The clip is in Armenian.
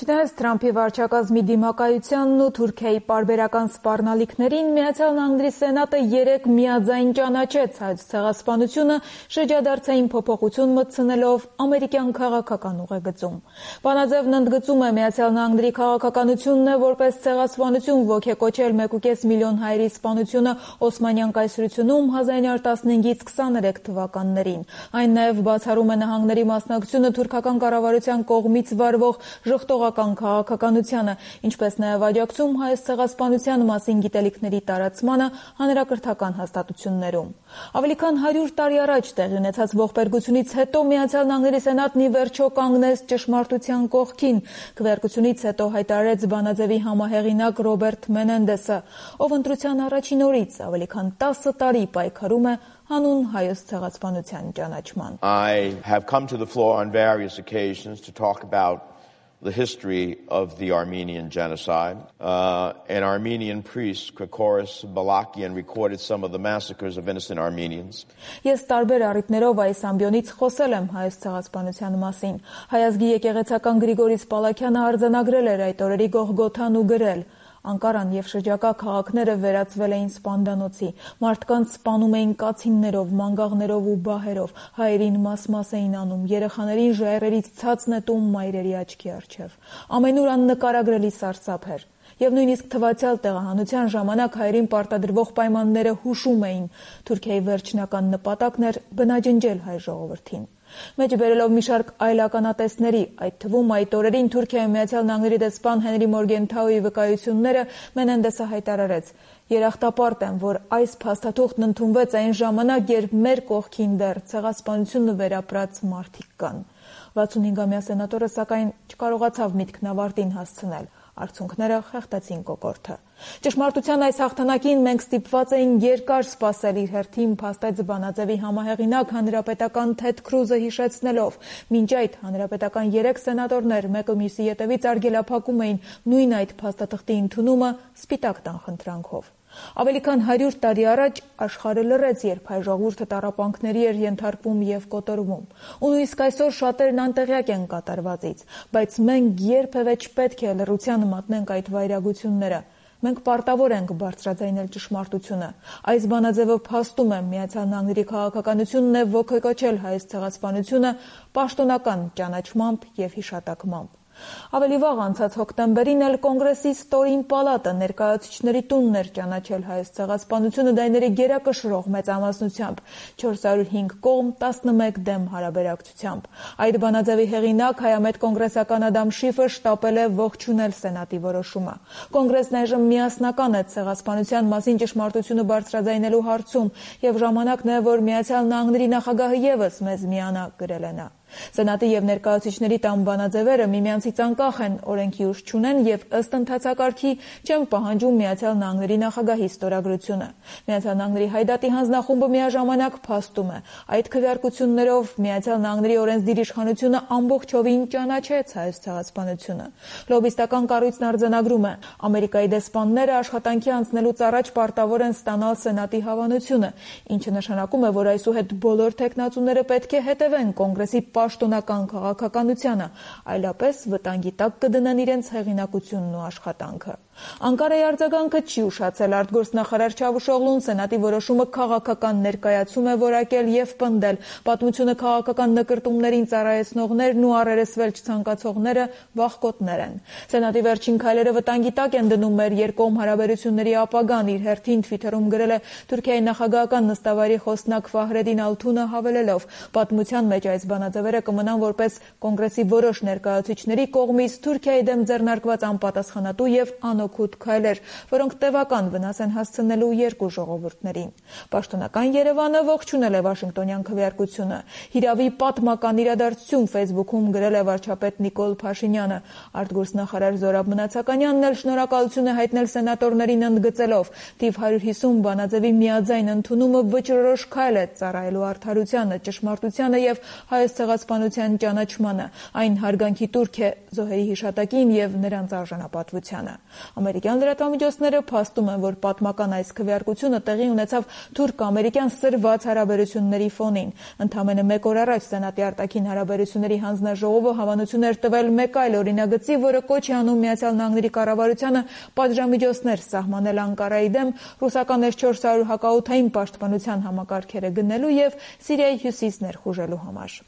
Չնայած Թրամփի վարչակազմի դիմակայությանն ու Թուրքիայի պարբերական սպառնալիքներին, Միացյալ Նահանգների Սենատը 3 միաձայն ճանաչեց Հայոց ցեղասպանությունը շրջադարձային փոփոխություն մտցնելով ամերիկյան քաղաքական ուղեգծում։ Բանաձևն ընդգծում է Միացյալ Նահանգների քաղաքականությունն է որպես ցեղասպանություն ոգեկոչել 1,5 միլիոն հայերի սպանությունը Օսմանյան կայսրությունում 1915-ից 23 թվականներին։ Այն նաև բացառում է նահանգների մասնակցությունը թուրքական կառավարության կողմից վարվող ժխտողական քաղաքականությանը, ինչպես նաև աջակցում հայոց ցեղասպանության մասին գիտելիքների տարածմանը հանրակրթական հաստատություններում։ Ավելի քան 100 տարի առաջ տեղի ունեցած ողբերգությունից հետո Միացյալ Նահանգների Սենատն ի վերջո կանգնեց ճշմարտության կողքին, քվեարկությունից հետո հայտարարեց բանաձևի համահեղինակ Ռոբերտ Մենենդեսը, ով ընտրության առաջին օրից ավելի քան 10 տարի պայքարում է հանուն հայոց ցեղասպանության ճանաչման։ I have come to the floor on various occasions to talk about the history of the Armenian genocide. An Armenian priest, Krikoros Balakian, recorded some of the massacres of innocent Armenians. Ես տարբեր առիթներով այս ամբիոնից խոսել եմ հայոց ցեղասպանության մասին։ Հայազգի եկեղեցական Գրիգորիս Պալաքյանը արձանագրել էր այդ օրերի Գողգոթան ու գրել. Անկարան եւ շրջակա քաղաքները վերածվել էին սպանդանոցի, մարդկանց սպանում էին կացիններով, մանգաղներով ու բահերով, հայերին մաս-մաս էին անում, երեխաներին ժայռերից ցած նետում մայրերի աչքի առջև։ Ամենուր աննկարագրելի սարսափ էր։ Եվ նույնիսկ թվացյալ տեղահանության ժամանակ հայերին պարտադրվող պայմանները հուշում էին։ Թուրքիայի վերջնական նպատակն էր բնաջնջել հայ ժողովրդին։ Մեջ բերելով մի շարք այլ ականատեսների, այդ թվում այդ օրերին Թուրքիայում Միացյալ Նահանգների դեսպան Հենրի Մորգենթաուի վկայությունները, Մենենդեսը հայտարարեց. Երախտապարտ եմ, որ այս փաստաթուղթն ընդունվեց այն ժամանակ, երբ մեր կողքին դեռ ցեղասպանությունը վերապրած մարդիկ կան։ 65-ամյա սենատորը սակայն չկարողացավ միտքն ավարտին հասցնել։ Արդյունքները խեղդեցին կոկորդը։ Ճշմարտության այս հաղթանակին մենք ստիպված էինք երկար սպասել, իր հերթին փաստեց բանաձևի համահեղինակ հանրապետական Թեդ Քրուզը հիշեցնելով. մինչ այդ հանրապետական 3 սենատորներ մեկը մյուսի ետևից արգելափակում էին նույն այդ փաստաթղթի ընդունումը սպիտակ տան խնդրանքով։ Ավելի քան 100 տարի առաջ աշխարհը լռեց, երբ հայ ժողովուրդը տառապանքների էր ենթարկվում եւ կոտորվում։ Ու նույնիսկ այսօր շատերն անտեղյակ են կատարվածից, բայց մենք երբևէ չպետք է լռության մատնենք այդ վայրագությունները։ Մենք պարտավոր ենք բարձրաձայնել ճշմարտությունը։ Այս բանաձևը փաստում է Միացյալ Նահանգների քաղաքականությունն է ոգեկոչել հայոց ցեղասպանությունը պաշտոնական ճանաչմամբ եւ հիշատակմամբ։ Ավելի վաղ անցած հոկտեմբերին էլ Կոնգրեսի ստորին պալատը ներկայացուցիչների տունն էր ճանաչել հայոց ցեղասպանությունը դայների գերակշռող մեծամասնությամբ 405 կողմ 11 դեմ հարաբերակցությամբ։ Այդ բանաձևի հեղինակ հայամետ կոնգրեսական Ադամ Շիֆը շտապել է ողջունել Սենատի որոշումը։ Կոնգրեսն այժմ միասնական է ցեղասպանության մասին ճշմարտությունը բարձրաձայնելու հարցում եւ ժամանակն է, որ Միացյալ Նահանգների նախագահը եւս մեզ միանա, գրել է նա։ Սենատի եւ ներկայացուցիչների տան բանաձևերը միմյանցից անկախ են, օրենքի ուժ չունեն եւ ըստ ընթացակարգի չեն պահանջում Միացյալ Նահանգների նախագահի ստորագրությունը։ Միացյալ Նահանգների հայդատի հանձնախումբը միաժամանակ փաստում է. այդ քվեարկություններով Միացյալ Նահանգների օրենսդիր իշխանությունը ամբողջովին ճանաչեց հայոց ցեղասպանությունը։ Լոբիստական կառույցն արձանագրում է. Ամերիկայի դեսպանները աշխատանքի անցնելուց առաջ պարտավոր են ստանալ Սենատի հավանությունը, ինչը նշանակում է, որ այսուհետ բոլոր թեկնածուները պետք է հետևեն Կոնգրեսի պաշտոնական քաղաքականությանը, այլապես վտանգի տակ կդնեն իրենց հեղինակությունն ու աշխատանքը։ Անկարայի արձագանքը չի ուշացել արտգործնախարար Չավուշօղլուն Սենատի որոշումը քաղաքական ներկայացում է որակել եւ պնդել։ Պատմությունը քաղաքական նկրտումներին ծառայեցնողներն ու առերեսվել չցանկացողները վախկոտներ են։ Սենատի վերջին քայլերը վտանգի տակ են դնում մեր երկկողմ հարաբերությունների ապագան, իր հերթին Թվիթերում գրել է Թուրքիայի նախագահական նստավայրի խոսնակ Ֆահրեդին Ալթունը հավելելով. պատմության մեջ այս բանաձևերը կմնան որպես Կոնգրեսի որոշ ներկայացուցիչների կողմից Թուրքիայի դեմ ձեռնարկված անպատասխանատու եւ անօգուտ քայլեր, որոնք տևական վնաս են հասցնելու երկու ժողովուրդներին։ Պաշտոնական Երևանը ողջունել է Վաշինգտոնյան քվեարկությունը։ Հիրավի պատմական իրադարձություն Facebook-ում գրել է վարչապետ Նիկոլ Փաշինյանը։ Արտգործնախարար Զորաբ Մնացականյանն էլ շնորհակալություն է հայտնել սենատորներին ընդգծելով. Թիվ 150 բանաձևի միաձայն ընդունումը վճռորոշ քայլ է ծառայելու արդարությանը, ճշմարտությանը եւ հայոց ցեղասպանության ճանաչմանը, այն հարգանքի տուրք է զոհերի հիշատակին եւ նրանց արժանապատվությանը։ Ամերիկյան լրատվամիջոցները փաստում են, որ պատմական այս քվեարկությունը տեղի ունեցավ թուրք-ամերիկյան սրված հարաբերությունների ֆոնին։ Ընդամենը մեկ օր առաջ Սենատի արտաքին հարաբերությունների հանձնաժողովը հավանություն էր տվել մեկ այլ օրինագծի, որը կոչ է անում Միացյալ Նահանգների կառավարությանը պատժամիջոցներ սահմանել Անկարայի դեմ, ռուսական S-400 հակաօդային պաշտպանության համակարգերը գնելու եւ Սիրիայի հյուսիսն ներխուժելու համար։